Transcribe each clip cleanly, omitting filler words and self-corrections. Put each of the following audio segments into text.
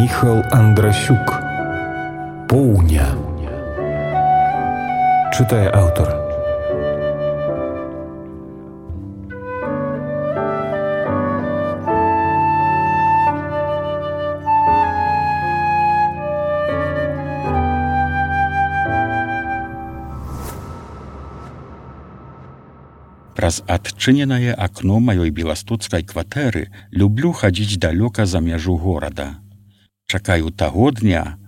Міхал Андрасюк. Поўня. Чытае аўтар. Праз адчыненае акно маёй беластоцкай кватэры люблю хадзіць далёка за мяжу горада. Чакаю таго дня,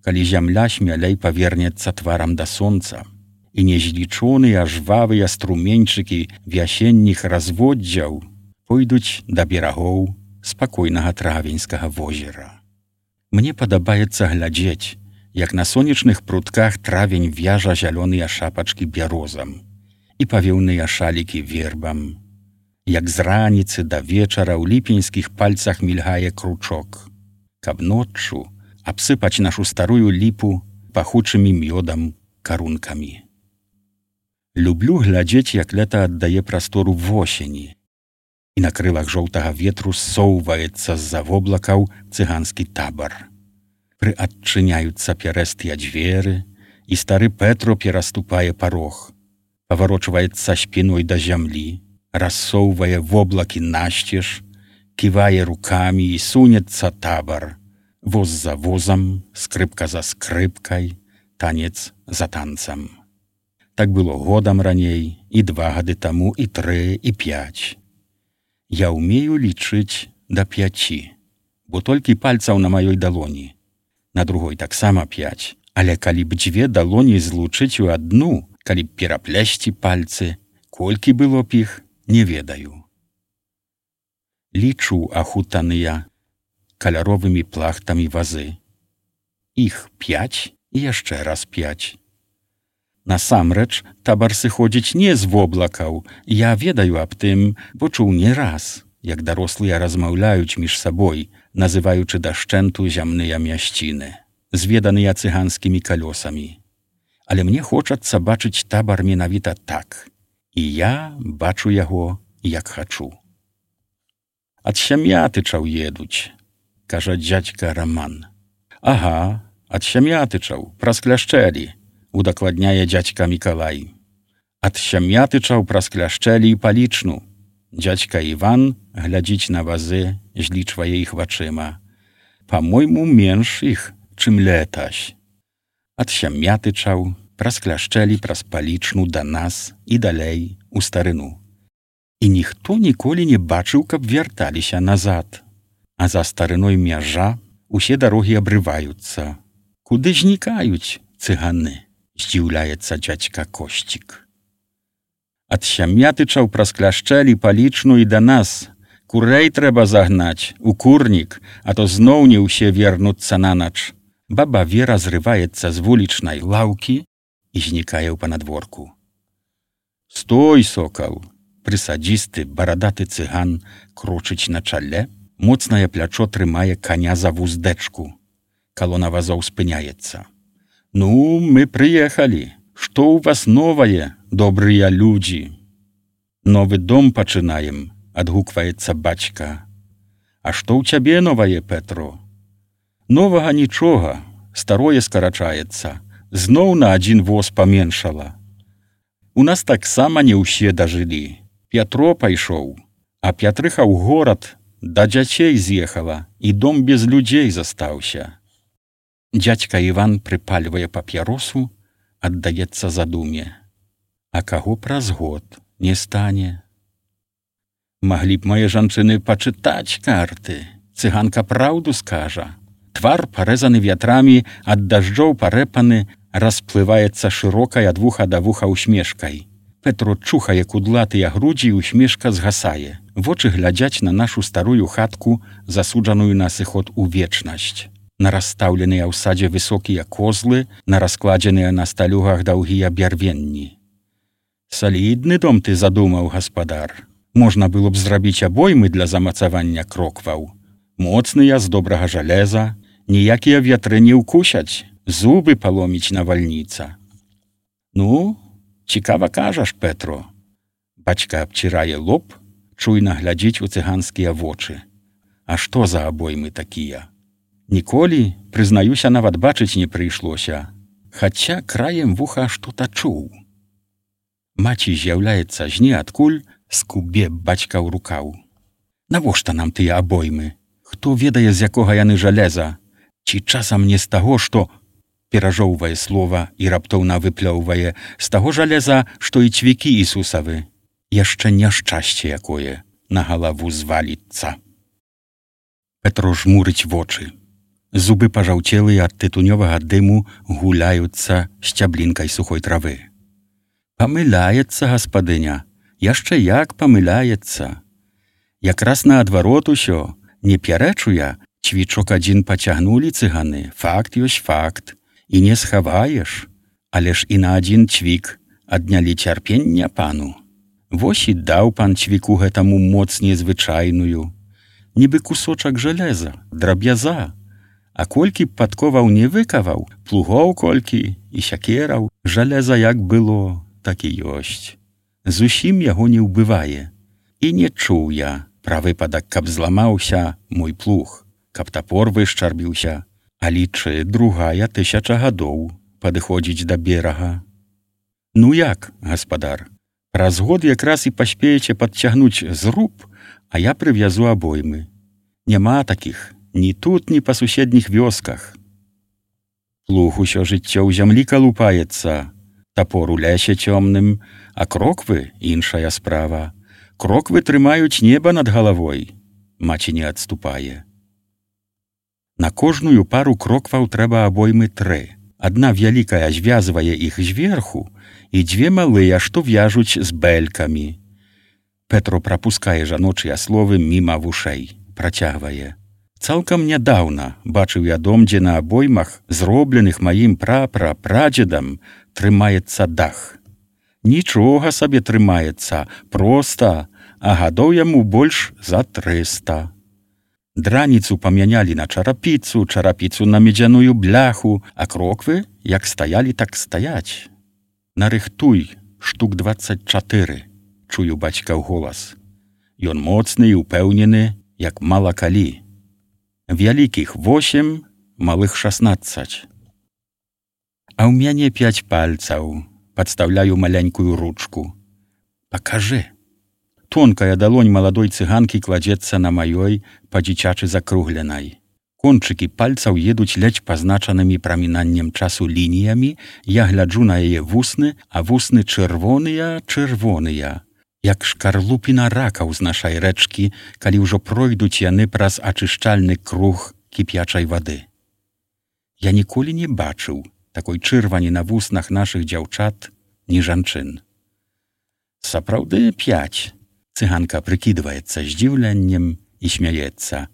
калі зямля смялей павернецца тварам да сонца, і незлічоныя жвавыя струменьчыкі вясенніх разводдзяў пойдуць да берагоў спакойнага травеньскага возера. Мне падабаецца глядзець, як на сонечных прутках травень вяжа зялёныя шапачкі бярозам і павеўныя шалікі вербам, як з раніцы да вечара ў ліпеньскіх пальцах мільгае кручок, каб ноччу абсыпаць нашу старую ліпу пахучымі мёдам карункамі. Люблю глядзець, як лета аддае прастору восені, і на крылах жоўтага ветру ссоўваецца з-за воблакаў цыганскі табар. Прыадчыняюцца пярэстыя дзверы, і стары Петро пераступае парог, паварочваецца спіной да зямлі, рассоўвае воблакі насцеж, ківае рукамі і сунецца табар, воз за возам, скрыпка за скрыпкай, танец за танцам. Так было годам раней, і 2 гады таму, і 3, і 5. Я ўмею лічыць да 5, бо толькі пальцаў на маёй далоні. На другой таксама 5, але калі б 2 далоні злучыць у адну, калі б пераплясці пальцы, колькі было б іх, не ведаю. Лічу ахутаныя каляровымі плахтамі вазы. Іх 5 і яшчэ раз 5. Насамрэч, табар сыходзіць не з воблакаў. Я ведаю аб тым, бо чуў не раз, як дарослыя размаўляюць між сабой, называючы дашчэнту зямныя мясціны, зведаныя цыганскімі калёсамі. Але мне хочацца бачыць табар менавіта так, і я бачу яго, як хачу. Ад Сям'ятычаў едуць, кажа дзядзька Раман. Ага, ад Сям'ятычаў, праз Кляшчэлі, удакладняе дзядзька Мікалай. Ад Сям'ятычаў праз Кляшчэлі і Палічну. Дзядзька Іван глядзіць на вазы, злічвае іх вачыма. Па-мойму, менш іх, чым летась. Ад Сям'ятычаў праз Кляшчэлі, праз Палічну да нас і далей у старыну. І ніхто ніколі не бачыў, каб вярталіся назад. А за старыной мяжа усе дарогі абрываюцца. Куды знікаюць цыганы? Здзіўляецца дзядзька Косцік. Ад Сям'ятычаў праз Кляшчэлі, Палічну і да нас. Курэй трэба загнаць у курнік, а то зноў не ўсе вернуцца на ноч. Баба Вера зрываецца з вулічнай лаўкі і знікае ў панадворку. Стой, сокал! Прысадзісты, барадаты цыган крочыць на чале, моцнае плячо трымае каня за вуздэчку. Калона вазоў спыняецца. Ну, мы прыехалі. Што ў вас новае, добрыя людзі? Новы дом пачынаем, адгукваецца бацька. А што ў цябе новае, Петро? Новага нічога, старое скарачаецца. Зноў на 1 воз паменшала. У нас таксама не ўсе дажылі. Пятро пайшоў, а Пятрыха ў горад да дзяцей з'ехала, і дом без людзей застаўся. Дзядзька Іван прыпальвае папяросу, аддаецца задуме. А каго праз год не стане? Маглі б мае жанчыны пачытаць карты. Цыганка праўду скажа. Твар, парэзаны вятрамі, ад дажджоў парэпаны, расплываецца шырокай ад вуха да вуха усмешкай. Петро чухае кудлатыя грудзі, і усмешка згасае. Вочы глядзяць на нашу старую хатку, засуджаную на сыход у вечнасць. На расстаўленыя ў садзе высокія козлы, на раскладзеныя на сталюгах даўгія бярвенні. Салідны дом ты задумаў, гаспадар. Можна было б зрабіць абоймы для замацавання крокваў. Моцныя, з добрага жалеза, ніякія вятры не ўкусяць, зубы паломіць навальніца. Ну, цікава кажаш, Петро. Бацька абцірае лоб, чуйна глядзіць у цыганскія вочы. А што за абоймы такія? Ніколі, прызнаюся, нават бачыць не прыйшлося, хаця краем вуха што-то чуў. Маці з'яўляецца з ніадкуль, скубе бацька ў рукаў. Навошта нам тыя абоймы? Хто ведае, з якога яны жалеза? Ці часам не з таго, што перажоўвае слова і раптоўна выплёўвае, з таго жалеза, што і цвікі Ісусавы. Яшчэ няшчасце якое на галаву зваліцца. Петро жмурыць вочы. Зубы пажаўцелыя ад тытунёвага дыму гуляюцца сцяблінкай сухой травы. Памыляецца гаспадыня, яшчэ як памыляецца. Якраз наадварот усё, не пярэчу я, цвічок адзін пацягнулі цыганы, факт ёсць факт, і не схаваеш, але ж і на адзін цвік аднялі цярпення пану. Вось і даў пан цвіку гэтаму моц незвычайную, нібы кусочак жалеза, драб'яза. А колькі б падковаў не выкаваў, плугоў колькі і сякераў, жалеза як было, так і ёсць. Зусім яго не ўбывае. І не чуў я пра выпадак, каб зламаўся мой плуг, каб тапор вышчарбіўся, а лічы 2000 гадоў падыходзіць да берага. Ну як, гаспадар, праз год якраз і паспееце падцягнуць зруб, а я прывязу абоймы. Няма такіх ні тут, ні па суседніх вёсках. Плуг усё жыццё ў зямлі калупаецца, тапор у лесе цёмным, а кроквы — іншая справа. Кроквы трымаюць неба над галавой. Маці не адступае. На кожную пару крокваў трэба абоймы 3. Адна вялікая звязвае іх зверху і 2 малыя, што вяжуць з бэлькамі. Петро прапускае жаночыя словы міма вушэй, працягвае. Цалкам нядаўна бачыў я дом, дзе на абоймах, зробленых маім прапрапрадзедам, трымаецца дах. Нічога сабе трымаецца, проста, а гадоў яму больш за 300. Драніцу памянялі на чарапіцу, чарапіцу на медзяную бляху, а кроквы, як стаялі, так стаяць. Нарыхтуй, штук 24, чую бацькаў голас. Ён моцны і упэўнены, як мала калі. Вялікіх 8, малых 16. А ў мяне 5 пальцаў. Падстаўляю маленькую ручку. Пакажы. Тонкая далонь маладой цыганкі кладзецца на маёй, па-дзіцячы закругленай. Кончыкі пальцаў едуць ледзь пазначанымі прамінаннем часу лініямі, я гляджу на яе вусны, а вусны чырвоныя, як шкарлупіна ракаў з нашай рэчкі, калі ўжо пройдуць яны праз ачышчальны круг кіпячай вады. Я ніколі не бачыў такой чырвані на вуснах нашых дзяўчат, ні жанчын. Сапраўды 5. Цыганка прыкідваецца здзіўленнем і смяецца.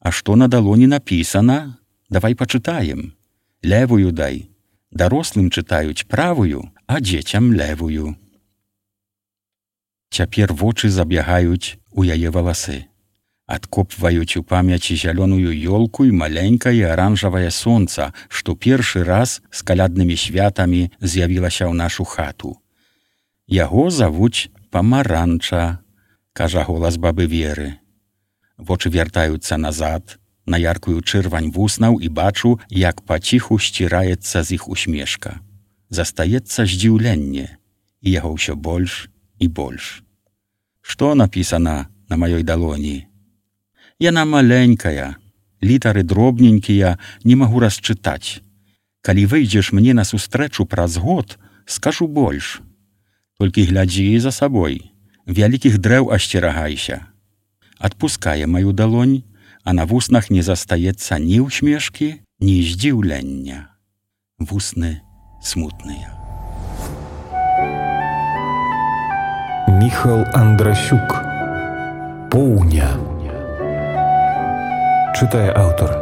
А што на далоні напісана? Давай пачытаем. Левую дай. Дарослым чытаюць правую, а дзецям левую. Цяпер вочы забягаюць у яе валасы. Адкопваюць у памяці зялёную ёлку і маленькае аранжавае сонца, што першы раз з каляднымі святамі з'явілася ў нашу хату. Яго завуць Памаранча, кажа голас бабы Веры. Вочы вяртаюцца назад, на яркую чырвань вуснаў і бачу, як паціху сціраецца з іх усмешка. Застаецца здзіўленне, і яго ўсё больш і больш. Што напісана на маёй далоні? Яна маленькая, літары дробненькія, не магу расчытаць. Калі выйдзеш мне на сустрэчу праз год, скажу больш. Толькі глядзі за сабой, вялікіх дрэў асцерагайся. Адпускае маю далонь, а на вуснах не застаецца ні ўсмешкі, ні здзіўлення. Вусны смутныя. Міхал Андрасюк. Поўня. Читає автор.